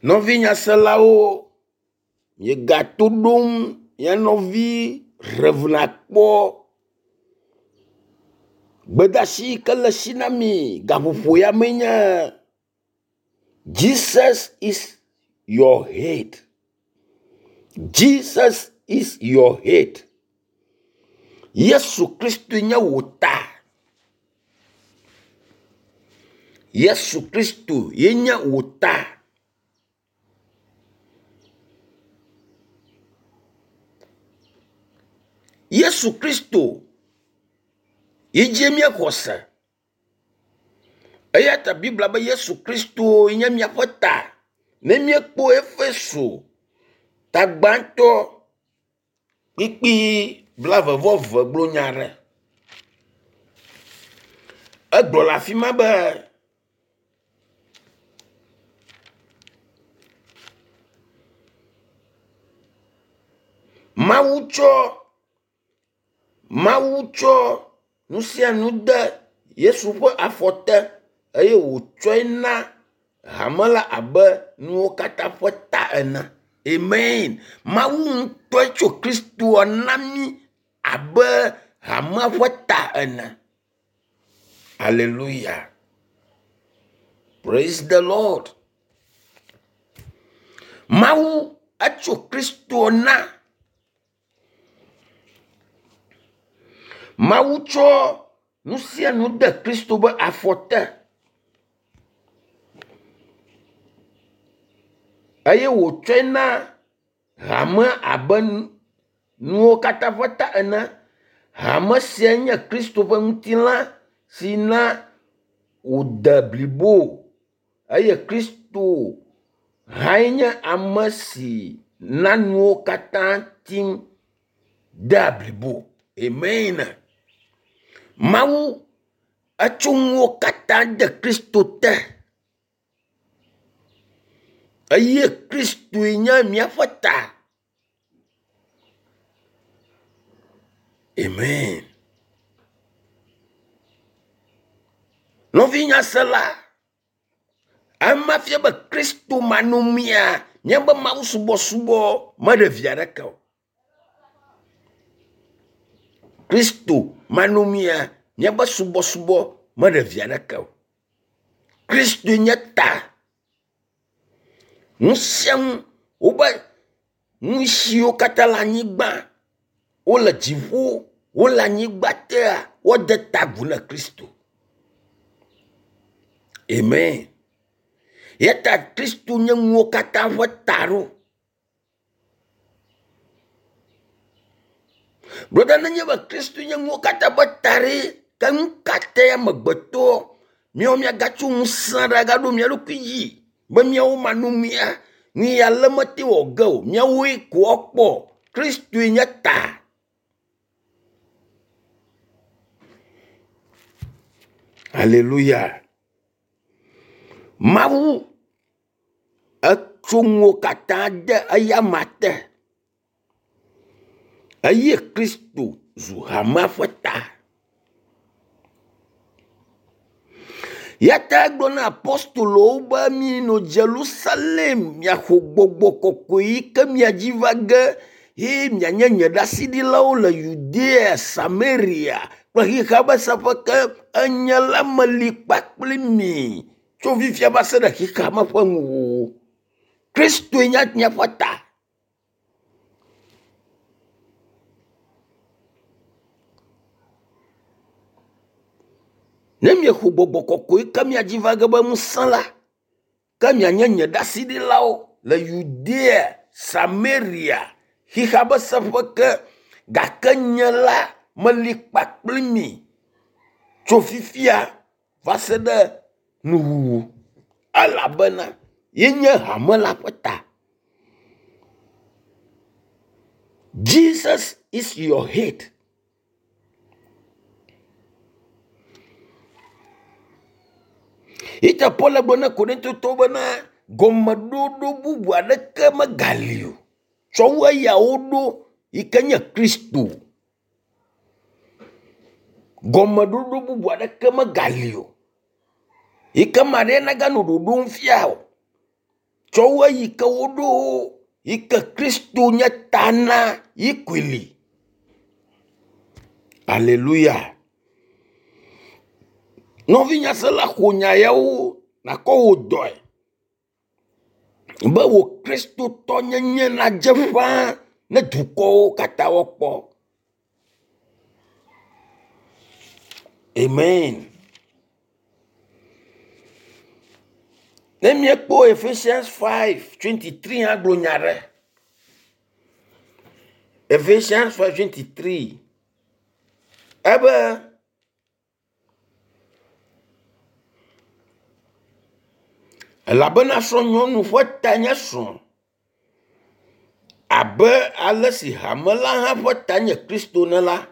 Nɔvi nyaselawo, miegato ɖom mia nɔvi Rev. Akpɔ. Gbedeasi yi ke le esi na mi gaƒoƒo ya mee nye Jesus is your head. Jesus is your head. Yesu Kristoe nye wò ta. Yesu Kristo ye nye wò ta. Yesu Kristo ye dzie míexɔ se. Eya ta Biblia be Yesu Kristo nye míaƒe ta. Ne míekpɔ Efeso ta gbãtɔ kpukpui blaeve-vɔ-eve gblɔ nya aɖe. Egblɔ le afi ma be Mawu tsɔ Mawu tsɔ nu sia nu de Yesu ƒe afɔ te eye wòtsɔe na hame la abe nuwo katã ƒe ta ene. Amen. Mawu ŋutɔe tso Kristoa na mí abe hamea ƒe ta ene. Hallelujah. Praise the Lord. Mawu etso Kristo na. Mawu tsɔ nu sia nu de Kristo be afɔ te eye wòtsɔe na hame abe nuwo katã ƒe ta ene. Hame sia nye Kristo ƒe ŋutilã si na wòde blibo eye Kristo hãe nye ame si na nuwo katã tim dea blibo. Amen. Mawu etso nuwo katã de Kristo te eye Kristoe nye míaƒe ta. Amen. Nɔvi nyasela, ema fia be Kristo manɔmea, míaƒe mawusubɔsubɔ meɖe vi aɖeke o. Kristo manɔmea, míaƒe subɔsubɔ meɖe vi aɖeke o. Kristoe nye ta. Nu sia nu wobe nu siwo katã le anyigba, wole dziƒo, wole anyigba tea, woade ta agu na Kristo. Amen. Eya ta Kristo nye nuwo katã ƒe ta ɖo. Brɔda nenye be Kristo nye nuwo katã ƒe ta ɖe, ke nu ka tae amegbetɔ míawo míagatso ŋusẽ ɖe agaɖo mía ɖokui dzi be míawo manɔmea, nu ya ale mete wɔ ge o, míawoe ko woakpɔ. Kristoe nye ta. Haleluya. Mawu Etso nuwo katã de eyama te eye Kristo zu hamea ƒe ta. Ya ta egblɔ na apostolowo be minɔ Yerusalem miaxɔ gbɔgbɔ kɔkɔe yi ke mia dzi va ge ye mianye nye ɖaseɖilawo le Yudea, Samaria kple xexea ƒe seƒe ke. Enye la meli kpakple mi. tso fifia va se ɖe xexea me ƒe nuwuwu. Kristoe nye míaƒe ta. Ne miexɔ gbɔgbɔ kɔkɔe ke mia dzi va ge be ŋusẽ la, ke mianye nye ɖaseɖilawo le Yudea, Samaria, xexea ƒe seƒe ke. Gake nye la meli kpakpli mi tso fifia va se ɖe nuwuwu elabena yenye hame la ƒe ta. Jesus is your head. Ita Paul gblɔ na Korintotɔwo bena gɔmeɖoɖo bubu aɖeke megali o tsɔ wu eya woɖo yi ke nye Kristo. Gɔmeɖoɖo bubu aɖeke megali o yi ke ame aɖe naganɔ ɖoɖom fia o. Tsɔ wu eyi ke woɖo yi ke Kristo nye ta na yi koe li. Aleluya. Nɔvinyasela ƒo nya yawo nakɔ wò dɔe be wò kristotɔnyenye nadze ƒãa ne dukɔwo katã woakpɔ. Amen. Ne míekpɔ Ephesians 5:23 hã gblɔ nya ɖe. Ephesians 5:23 ebe elabena srɔ̃nyɔnu ƒe ta nye srɔ̃ abe ale si hame la hã ƒe ta nye Kristo ene la,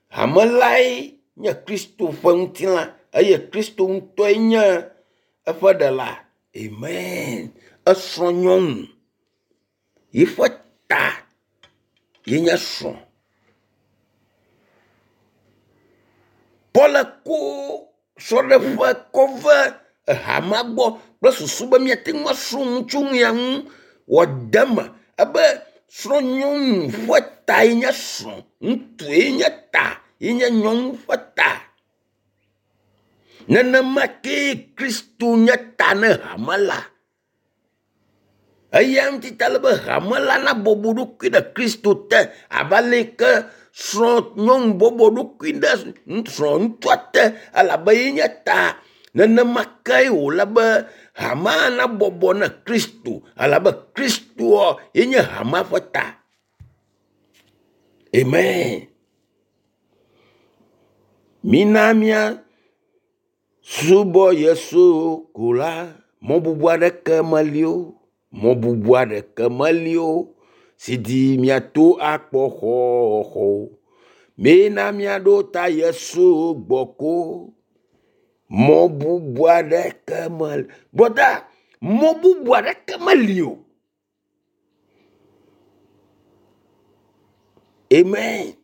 hame lae nye Kristo ƒe ŋutilã eye Kristo ŋutɔe nye eƒe ɖela. Amen. Esrɔ̃ nyɔnu yiƒe ta ye nye srɔ̃. Paul ko srɔ̃ɖeƒe kɔ ve ehamea gbɔ kple susu be míate ŋu asrɔ̃ nu tso nu ya ŋu wòade eme ebe srɔ̃nyɔnu ƒe tae nye srɔ̃, ŋutsue nye ta ye nye nyɔnu ƒe ta. Nenema kee Kristo nye ta ne hame la. Eya ŋuti ta ele be hame la nabɔbɔ ɖokui ɖe Kristo te abe ale yi ke srɔ̃ nyɔnu bɔbɔ ɖokui ɖe srɔ̃ ŋutsua te elabe ye nye ta. Nenema kee wòle be hamea nabɔbɔ ne Kristo elabe Kristoa ye nye hamea ƒe ta. Amen. Mina mía Subɔ Yesu ko la, mɔ bubu aɖeke meli o, mɔ bubu aɖeke meli o, si dzi míato akpɔ xɔxɔ o. Mina míaɖo ta Yesu gbɔ ko, mɔ bubu aɖeke meli. Brɔda, mɔ bubu aɖeke meli o. Amen.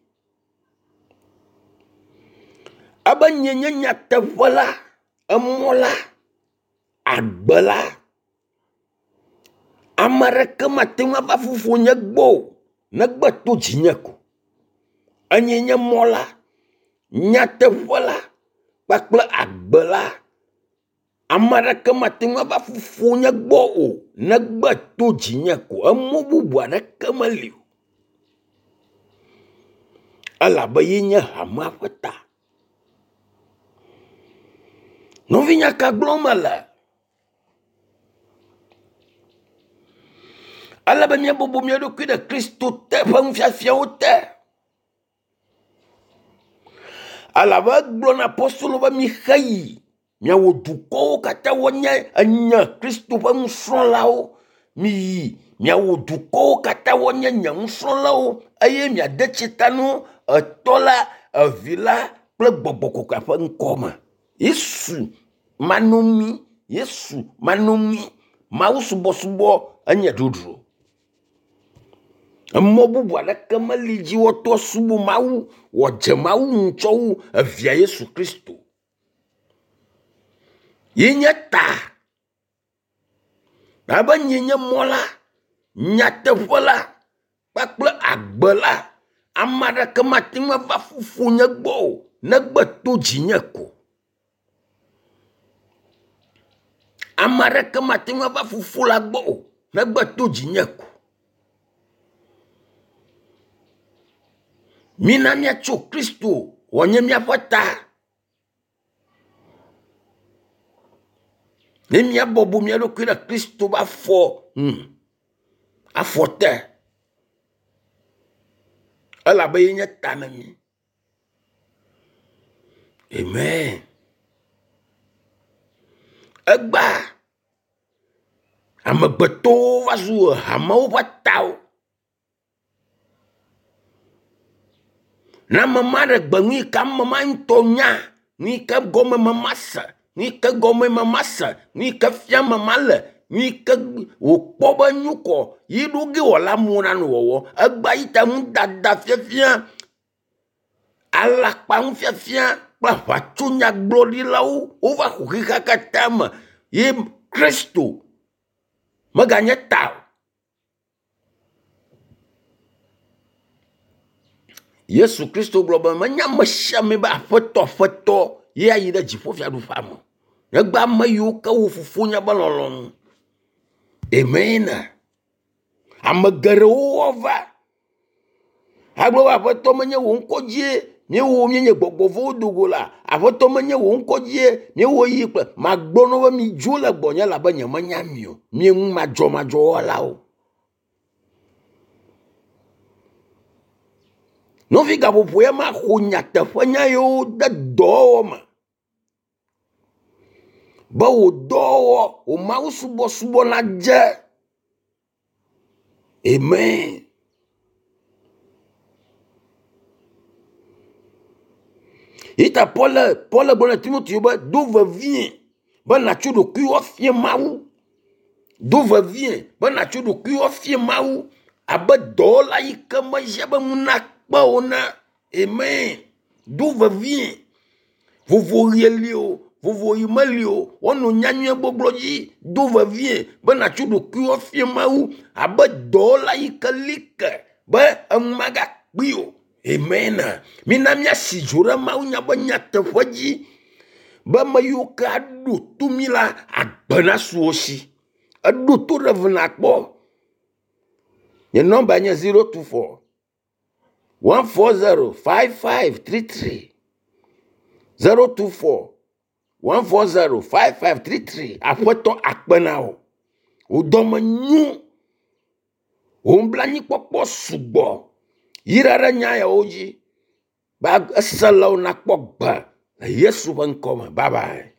Ebe nye nye nyateƒe la, emɔ la, agbe la. Ame aɖeke mate ŋu ava fofonye gbɔ o negbe to dzinye ko. Enye nye mɔ la, nyateƒe la kpakple agbe la. Ame aɖeke mate ŋu ava fofonye gbɔ o negbe to dzinye ko. Emɔ bubu aɖeke meli o. Elabe ye nye hamea ƒe ta. Nɔvinya ka gblɔm mele? Ele be míabɔbɔ mía ɖokui ɖe Kristo te ƒe nufiafiawo te. Elabe egblɔ na apostolo be mixe yi miawɔ dukɔwo katã woanye enye Kristo ƒe nusrɔ̃lawo. Miyi miawɔ dukɔwo katã woanye nye nusrɔ̃lawo eye miade tsi ta na wo Etɔ la, Evi la kple Gbɔgbɔ Kɔkɔea ƒe ŋkɔ me. Yesu manomi, Yesu manomi, mawusubɔsubɔ enye dzodzro. Emɔ bubu aɖeke meli dzi woato asubɔ Mawu wòadze Mawu ŋu tsɔ wu evia Yesu Kristo. Ye nye ta. Abe nye nye mɔ la, nyateƒe la kpakple agbe la, ame aɖeke mate ŋu ava fofonye gbɔ o negbe to dzinye ko. Ame aɖeke mate ŋu ava fofo la gbɔ o negbe to dzinye ko. Mina míatso Kristo wòanye míaƒe ta. Ne míabɔbɔ mía ɖokui ɖe Kristo ƒe afɔ nu, afɔ te elabe ye nye ta na mí. Amen. Egbea amegbetɔwo va zu hamewo ƒe tawo. Ne ame ma ɖe gbe nu yi ke ame ma ŋutɔ nya, nu yi ke gɔme ame ma se, nu yi ke gɔme ame ma se, nu yi ke fiam ame ma le, nu yi ke wòkpɔ be enyo kɔ yi ɖo ge wòale amewo nanɔ wɔwɔm. Egbea yi ta nudada fiafia Alakpanufiafia kple aʋatsonyagblɔɖilawo wova xɔ xexea katã me ye Kristo Meganye ta o. Yesu Kristo gblɔ be menye ame sia ame be aƒetɔ aƒetɔ ye ayi ɖe dziƒofiaɖuƒea me o. Negbe ame yiwo ke wɔ fofonye be lɔlɔ̃nu. Amen. Ame geɖewo woava agblɔ be aƒetɔ menye wò ŋkɔ dzie míewɔ míenye gbɔgbɔ vɔ̃wo do go la aƒetɔ menye wò ŋkɔ dzie míewɔ yi kple magblɔ na wo be midzo le gbɔnye elabe nyemenya mi o mi ŋu madzɔmadzɔwɔlawo. Nɔvi gaƒoƒo ya maxɔ nyateƒenya yiwo de dɔwɔwɔ me be wò dɔwɔwɔ wò mawusubɔsubɔ nadze. Amen. Yi ta Paul Paul gblɔ na Timoteo be do vevie be nàtso ɖokuiwò afia Mawu. Do vevie be nàtso ɖokuiwò afia Mawu abe dɔwɔla yi ke mehiã be ŋu nakpe o na. Amen. Do vevie. Vovoɣi li o, vovoɣi meli o, woanɔ nyanyuie gbɔgblɔ dzi. Do vevie be nàtso ɖokuiwò afia Mawu abe dɔwɔla yi ke li ke be enu magakpee o. Amen. Mina míasi dzo ɖe Mawu nya be nyateƒe dzi be ame yiwo ke aɖo to mí la, agbe nasu wo si. Eɖo to ɖe eve nakpɔ. Nye nɔmba nye 024 140 5533 024 140 5533 aƒetɔ akpe na wò wò dɔme nyo wò nublanuikpɔkpɔ sugbɔ yra ɖe nya yawo dzi be eselawo nakpɔ gbe le Yesu ƒe ŋkɔ me. Bye bye.